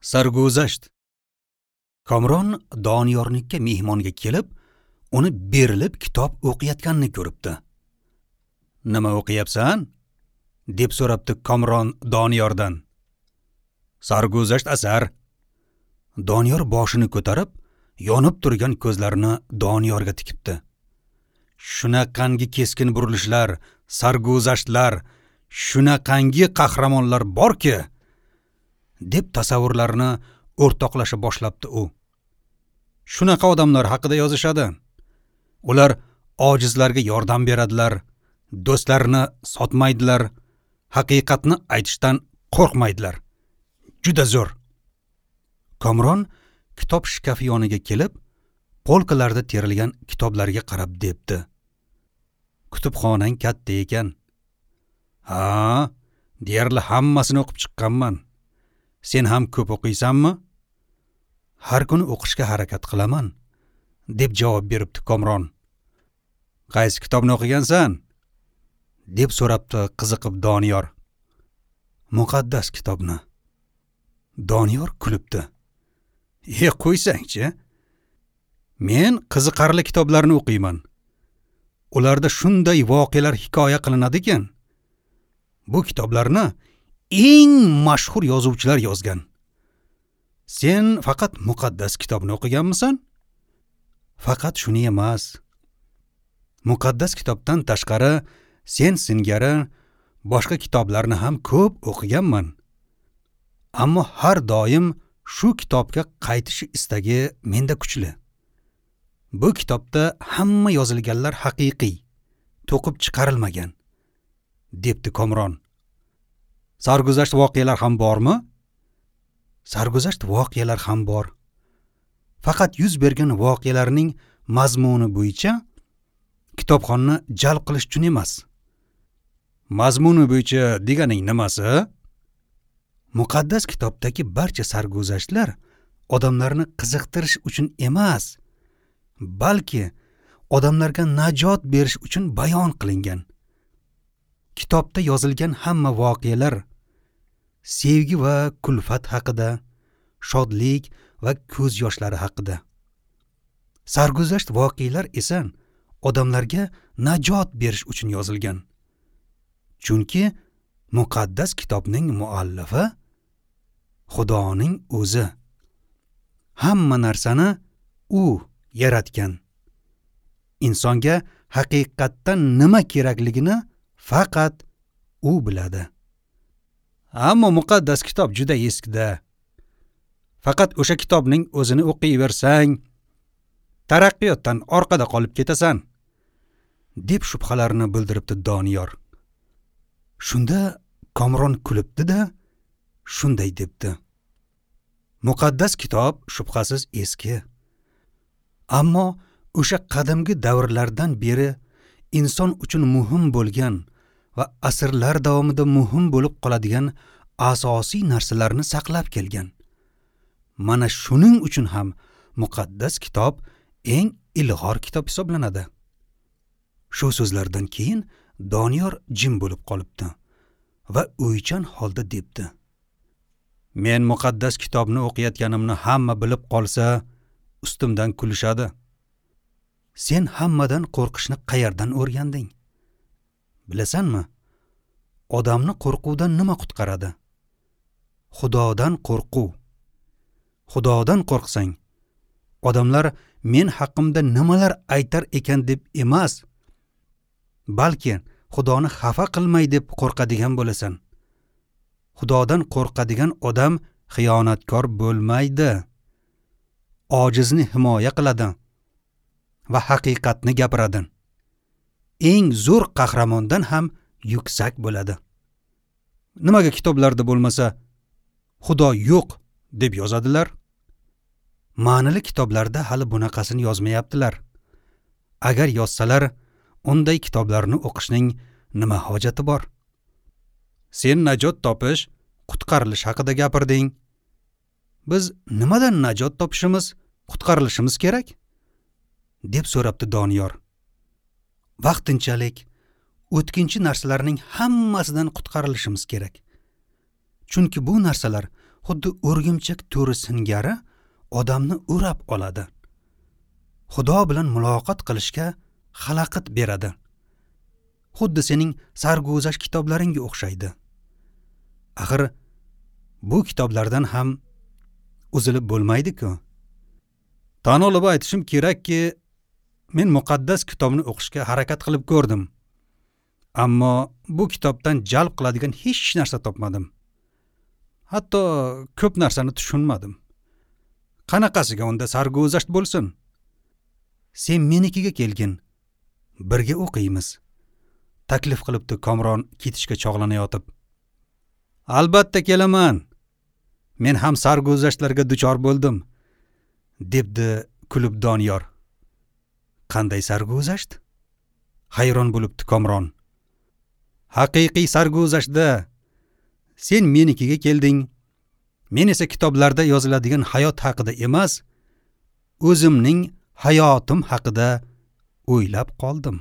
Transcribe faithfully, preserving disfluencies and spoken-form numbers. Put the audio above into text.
Sarguzasht. Komron Doniyornikka mehmonga kelib, uni berilib kitob o'qiyotganini ko'ribdi. "Nima o'qiyapsan?" deb so'rabdi Komron Doniyordan. "Sarguzasht asar." Doniyor boshini ko'tarib, yonib turgan ko'zlarini Doniyorga tikibdi. Shunaqangi keskin burilishlar, sarguzashtlar, shunaqangi qahramonlar borki, deb tasavvurlarini o'rtoqlasha boshlabdi u. Shunaqa odamlar haqida yozishadi. Ular ojizlarga yordam beradilar, do'stlarini sotmaydilar, haqiqatni aytishdan qo'rqmaydilar. Juda zo'r. Komron kitob shkafi yoniga kelib, polkalarda terilgan kitoblarga qarab debdi: "Kutubxonang katta ekan." "Ha, deyarli hammasini o'qib chiqqanman. Sen ham ko'p o'qiysanmi?" "Har kuni o'qishga harakat qilaman", deb javob beribdi Komron. "Qaysi kitobni o'qigansan?" deb so'rabdi qiziqib Doniyor. "Muqaddas kitobni." Doniyor kulibdi. "E, qo'ysangchi. Men qiziqarli kitoblarni o'qiyman. Ularda shunday voqealar hikoya qilinadi ekan. Bu kitoblarni eng mashhur yozuvchilar yozgan. Sen faqat muqaddas kitobni o'qiganmisan?" "Faqat shuni emas. Muqaddas kitobdan tashqari sen singari boshqa kitoblarni ham ko'p o'qiganman. Ammo har doim shu kitobga qaytish istagi menda kuchli. Bu kitobda hamma yozilganlar haqiqiy, to'qib chiqarilmagan", debdi Komron. "Sarguzasht voqealar ham bormi?" "Sarguzasht voqealar ham bor. Faqat yuz bergan voqealarning mazmuni bo'yicha kitobxonni jalb qilish uchun emas." "Mazmuni bo'yicha deganing nimasi?" "Muqaddas kitobdagi barcha sarguzashtlar odamlarni qiziqtirish uchun emas, balki odamlarga najot berish uchun bayon qilingan. Kitobda yozilgan hamma voqealar sevgi va kulfat haqida, shodlik va ko'z yoshlari haqida. Sarguzasht voqealar esa odamlarga najot berish uchun yozilgan. Chunki muqaddas kitobning muallifi Xudoning o'zi. Hamma narsani u yaratgan. Insonga haqiqatdan nima kerakligini faqat u biladi. Ammo muqaddas kitob juda eskida. Faqat o'sha kitobning o'zini o'qiyversang, taraqqiyotdan orqada qolib ketasan", deb shubhalarini bildiribdi Doniyor. Shunda Komron kulibdi-da, shunday debdi: "Muqaddas kitob shubhasiz eski. Ammo o'sha qadimgi davrlardan beri inson uchun muhim bo'lgan va asrlar davomida muhim bo'lib qoladigan asosiy narsalarni saqlab kelgan. Mana shuning uchun ham muqaddas kitob eng ilg'or kitob hisoblanadi." Shu so'zlardan keyin Doniyor jim bo'lib qolibdi va o'ychan holda debdi: "Men muqaddas kitobni o'qiyotganimni hamma bilib qolsa, ustimdan kulishadi. Sen hammadan qo'rqishni qayerdan o'rganding? Bilasanmi, odamni qo'rquvdan nima qutqaradi? Xudodan qo'rquv. Xudodan qo'rqsang, odamlar men haqimda nimalar aytar ekan deb emas, balki Xudoni xafa qilmay deb qo'rqadigan bo'lasan. Xudodan qo'rqadigan odam xiyonatkor bo'lmaydi. Ojizni himoya qiladi va haqiqatni gapiradi. Eng zo'r qahramondan ham yuksak bo'ladi. Nimaga kitoblarda bo'lmasa Xudo yo'q deb yozadilar? Ma'nili kitoblarda hali bunaqasini yozmayaptilar. Agar yozsalar, unday kitoblarni o'qishning nima hojati bor? Sen najot topish, qutqarilish haqida gapirding. Biz nimadan najot topishimiz, qutqarilishimiz kerak?" deb so'rabdi Doniyor. "Vaqtinchalik o'tkinchi narsalarning hammasidan qutqarilishimiz kerak. Chunki bu narsalar Xuddi o'rgimchak to'ri singari odamni o'rab oladi. Xudo bilan muloqot qilishga xalaqit beradi. Xuddi sening sarguzasht kitoblaringga o'xshaydi. Axir bu kitoblardan ham uzilib bo'lmaydi-ku. Tan olib aytishim kerakki, men muqaddas kitobni o'qishga harakat qilib ko'rdim. Ammo bu kitobdan jalb qiladigan hech narsa topmadim. Hatto ko'p narsani tushunmadim. Qanaqasiga unda sarguzasht bo'lsin? Sen menikiga kelgin, birga o'qiymiz, taklif qilibdi Komron ketishga chog'lanayotib. Albatta kelaman. Men ham sarguzashtlarga duchor bo'ldim, debdi kulib Doniyor. Qanday sarguzasht? Hayron bo'libdi Komron. Haqiqiy sarguzashtda. Sen menikiga kelding. Men esa kitoblarda yoziladigan hayot haqida emas, o'zimning hayotim haqida o'ylab qoldim.